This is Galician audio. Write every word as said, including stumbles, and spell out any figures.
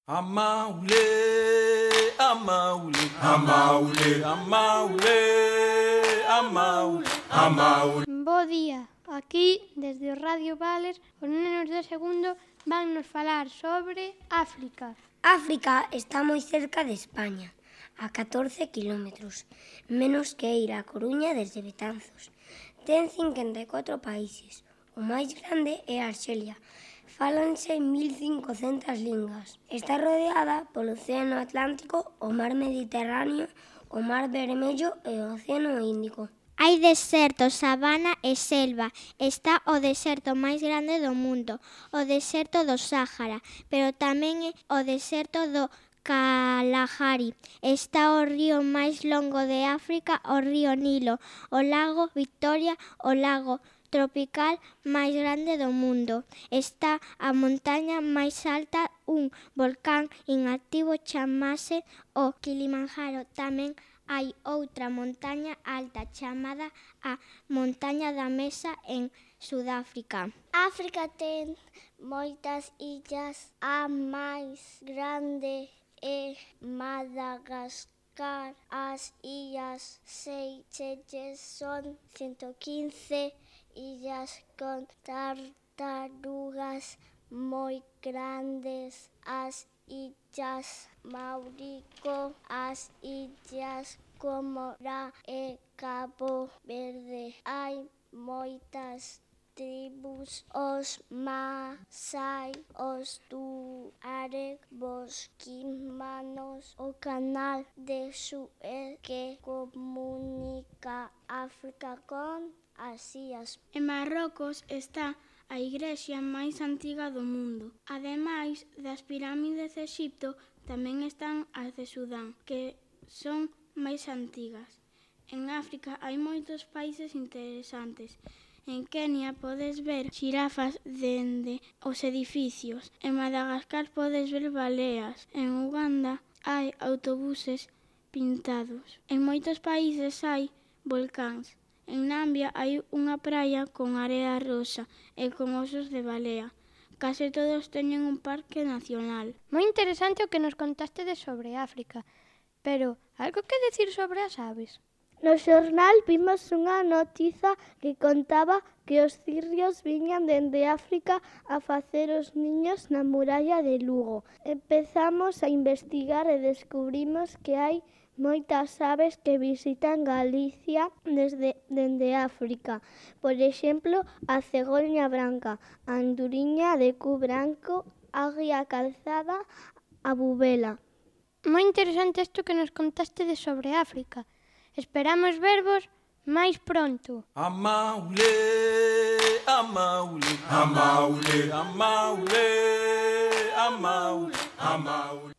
Amaule, amaule, amaule, amaule, amaule, amaule. Bo día, aquí desde o Radio Valer os nenos de segundo van nos falar sobre África. África está moi cerca de España, a catorce kilómetros, menos que ir a Coruña desde Betanzos. Ten cincuenta e catro países, o máis grande é Arxelia. Fálanse mil cincocentas lingas. Está rodeada polo Océano Atlántico, o Mar Mediterráneo, o Mar Vermello e o Océano Índico. Hai deserto, sabana e selva. Está o deserto máis grande do mundo, o deserto do Sáhara, pero tamén é o deserto do Kalahari. Está o río máis longo de África, o río Nilo, o lago Victoria, o lago tropical máis grande do mundo. Está a montaña máis alta, un volcán inactivo chamase o Kilimanjaro. Tamén hai outra montaña alta chamada a Montaña da Mesa en Sudáfrica. África ten moitas illas, a máis grande é Madagascar. As illas Seychelles son ciento quince illas con tartarugas moi grandes. As illas Mauricio, as illas Comora e Cabo Verde. Hai moitas tribus, os Masai, os Tuareg, bosquimanos, o canal de Suez que comunica África con Asías. En Marrocos está a igrexa máis antiga do mundo. Ademais das pirámides de Exipto, tamén están as de Sudán, que son máis antigas. En África hai moitos países interesantes. En Kenia podes ver xirafas dende os edificios. En Madagascar podes ver baleas. En Uganda hai autobuses pintados. En moitos países hai volcáns. En Nambia hai unha praia con area rosa e con osos de balea. Case todos teñen un parque nacional. Moi interesante o que nos contaste de sobre África, pero algo que decir sobre as aves? No xornal vimos unha notiza que contaba que os cirrios viñan dende África a facer os niños na muralla de Lugo. Empezamos a investigar e descubrimos que hai moitas aves que visitan Galicia desde dende África. Por exemplo, a cegoña branca, a anduriña de cu branco, a águia calzada, a bubela. Moi interesante isto que nos contaste de sobre África. Esperamos vervos máis pronto. Amaule, amaule, amaule, amaule, amaule, amaule.